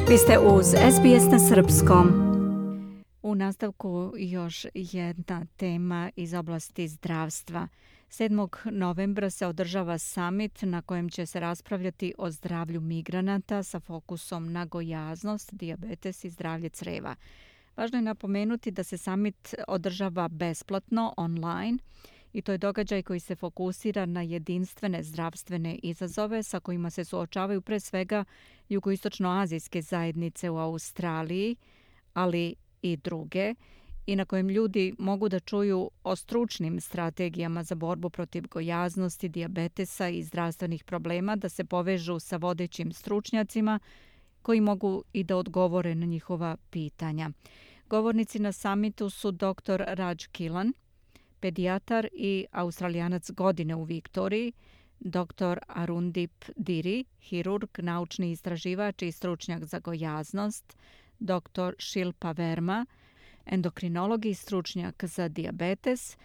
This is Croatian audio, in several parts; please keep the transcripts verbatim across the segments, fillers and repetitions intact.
Vi ste uz S B S na srpskom. U nastavku još jedna tema iz oblasti zdravstva. sedmog novembra se održava summit na kojem će se raspravljati o zdravlju migranata sa fokusom na gojaznost, dijabetes i zdravlje creva. Važno je napomenuti da se summit održava besplatno online i to je događaj koji se fokusira na jedinstvene zdravstvene izazove sa kojima se suočavaju pre svega jugoistočnoazijske zajednice u Australiji, ali i druge, i na kojem ljudi mogu da čuju o stručnim strategijama za borbu protiv gojaznosti, dijabetesa i zdravstvenih problema, da se povežu sa vodećim stručnjacima koji mogu i da odgovore na njihova pitanja. Govornici na samitu su doktor Raj Killan, pedijatar i Australijanac godine u Viktoriji, doktor Arundip Diri, hirurg, naučni istraživač i stručnjak za gojaznost, doktor Shilpa Verma, endokrinolog i stručnjak za dijabetes,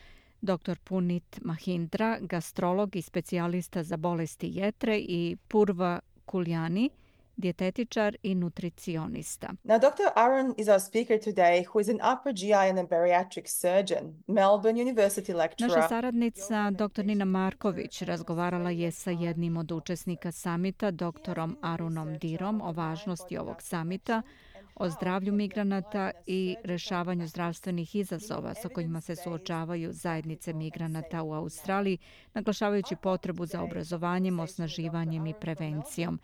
doktor Punit Mahindra, gastrolog i specijalista za bolesti jetre i Purva Kuljani, dijetetičar i nutricionista. Now, Doctor Arun is our speaker today, who is an upper G I and a bariatric surgeon, Melbourne University lecturer. Naša saradnica, doktor Nina Marković, razgovarala je sa jednim od učesnika samita, doktorom Arunom Dirom, o važnosti ovog samita, o zdravlju migranata i rešavanju zdravstvenih izazova sa kojima se suočavaju zajednice migranata u Australiji, naglašavajući potrebu za obrazovanjem, osnaživanjem i prevencijom.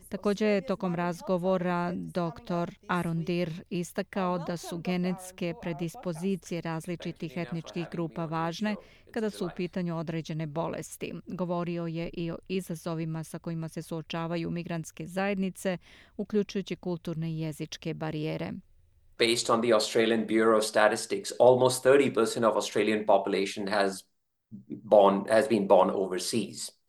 Također je tokom razgovora doktor Arun Dir istakao da su genetske predispozicije različitih etničkih grupa važne kada su u pitanju određene bolesti. Govorio je i o izazovima sa kojima se suočavaju migrantske zajednice, uključujući kulturne i jezičke barijere. Based on the Australian Bureau of Statistics, almost thirty percent of Australian population has born has been born overseas.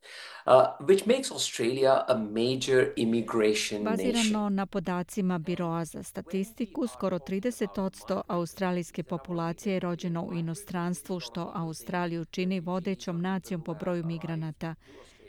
Uh, which makes Australia a major immigration nation. Bazirano na podacima Biroa za statistiku, skoro trideset posto australijske populacije je rođeno u inostranstvu, što Australiju čini vodećom nacijom po broju migranata.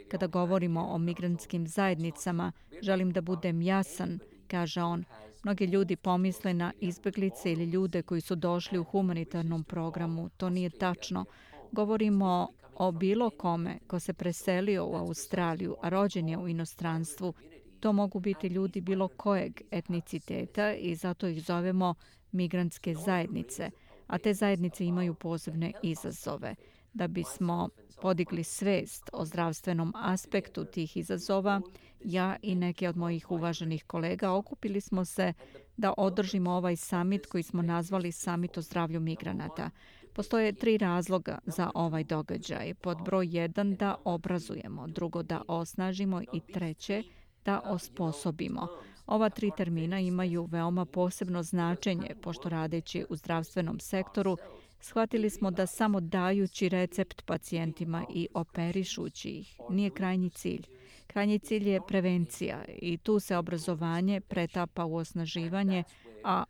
Kada govorimo o migrantskim zajednicama, želim da budem jasan, kaže on. Mnogi ljudi pomisle na izbeglice ili ljude koji su došli u humanitarnom programu. To nije tačno. Govorimo o bilo kome ko se preselio u Australiju, a rođen je u inostranstvu. To mogu biti ljudi bilo kojeg etniciteta i zato ih zovemo migrantske zajednice, a te zajednice imaju posebne izazove. Da bismo podigli svest o zdravstvenom aspektu tih izazova, ja i neke od mojih uvaženih kolega okupili smo se da održimo ovaj summit koji smo nazvali Summit o zdravlju migranata. Postoje tri razloga za ovaj događaj. Pod broj jedan, da obrazujemo, drugo, da osnažimo i treće, da osposobimo. Ova tri termina imaju veoma posebno značenje, pošto radeći u zdravstvenom sektoru, shvatili smo da samo dajući recept pacijentima i operišući ih nije krajnji cilj. Krajnji cilj je prevencija i tu se obrazovanje pretapa u osnaživanje, a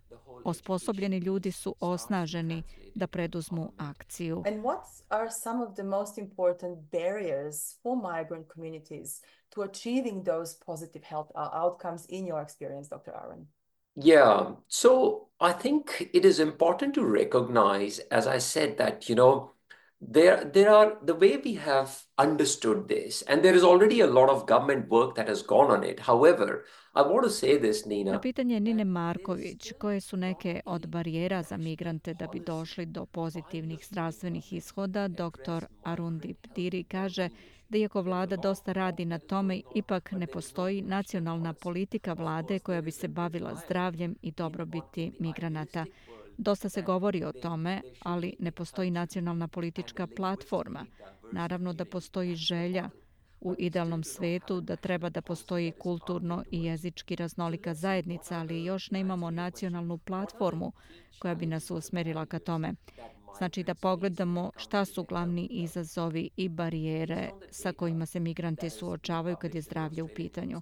osposobljeni ljudi su osnaženi da preduzmu akciju. And what are some of the most important barriers for migrant communities to achieving those positive health outcomes in your experience, Doctor Arun? Yeah, so I think it is important to recognize, as I said, that, you know, there, there are, the way we have understood this, and there is already a lot of government work that has gone on it. However, I want to say this, Nina. Na pitanje Nine Marković, koje su neke od barijera za migrante da bi došli do pozitivnih zdravstvenih ishoda, doktor Arundip Diri kaže da iako vlada dosta radi na tome, ipak ne postoji nacionalna politika vlade koja bi se bavila zdravljem i dobrobiti migranata. Dosta se govori o tome, ali ne postoji nacionalna politička platforma. Naravno da postoji želja u idealnom svetu da treba da postoji kulturno i jezički raznolika zajednica, ali još ne imamo nacionalnu platformu koja bi nas usmerila ka tome. Znači da pogledamo šta su glavni izazovi i barijere sa kojima se migranti suočavaju kad je zdravlje u pitanju.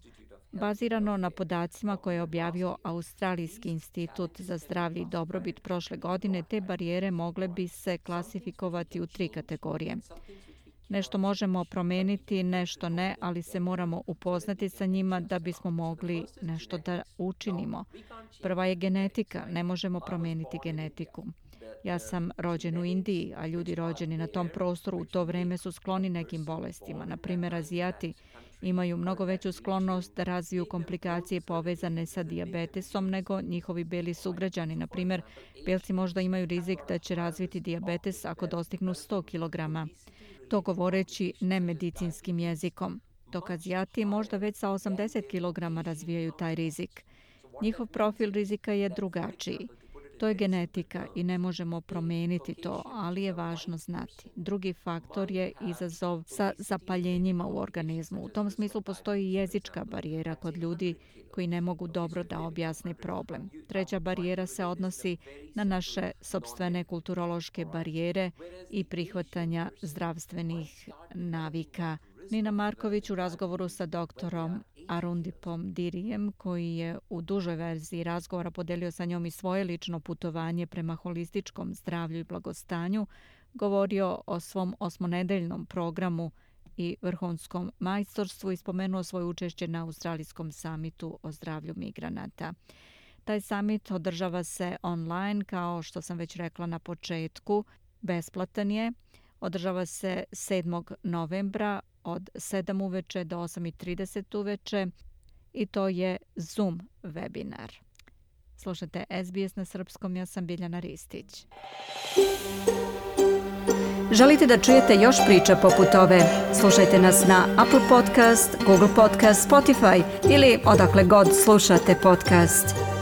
Bazirano na podacima koje je objavio Australijski institut za zdravlje i dobrobit prošle godine, te barijere mogle bi se klasifikovati u tri kategorije. Nešto možemo promijeniti, nešto ne, ali se moramo upoznati sa njima da bismo mogli nešto da učinimo. Prva je genetika, ne možemo promijeniti genetiku. Ja sam rođen u Indiji, a ljudi rođeni na tom prostoru u to vrijeme su skloni nekim bolestima. Na primjer, Azijati imaju mnogo veću sklonost da razviju komplikacije povezane sa dijabetesom nego njihovi beli sugrađani. Na primjer, belci možda imaju rizik da će razviti dijabetes ako dostignu sto kilograma. To govoreći nemedicinskim jezikom, dok Azijati možda već sa osamdeset kilograma razvijaju taj rizik. Njihov profil rizika je drugačiji. To je genetika i ne možemo promijeniti to, ali je važno znati. Drugi faktor je izazov sa zapaljenjima u organizmu. U tom smislu postoji jezička barijera kod ljudi koji ne mogu dobro da objasne problem. Treća barijera se odnosi na naše sopstvene kulturološke barijere i prihvatanja zdravstvenih navika. Nina Marković u razgovoru sa doktorom Arundipom Dirijem, koji je u dužoj verziji razgovora podelio sa njom i svoje lično putovanje prema holističkom zdravlju i blagostanju, govorio o svom osmonedeljnom programu i vrhunskom majstorstvu i spomenuo svoje učešće na Australijskom samitu o zdravlju migranata. Taj samit održava se online, kao što sam već rekla na početku, besplatan je. Održava se sedmog novembra od sedam uveče do osam i trideset uveče i to je Zoom webinar. Slušajte S B S na srpskom, ja sam Biljana Ristić. Želite da čujete još priča poput ove? Slušajte nas na Apple Podcast, Google Podcast, Spotify ili odakle god slušate podcast.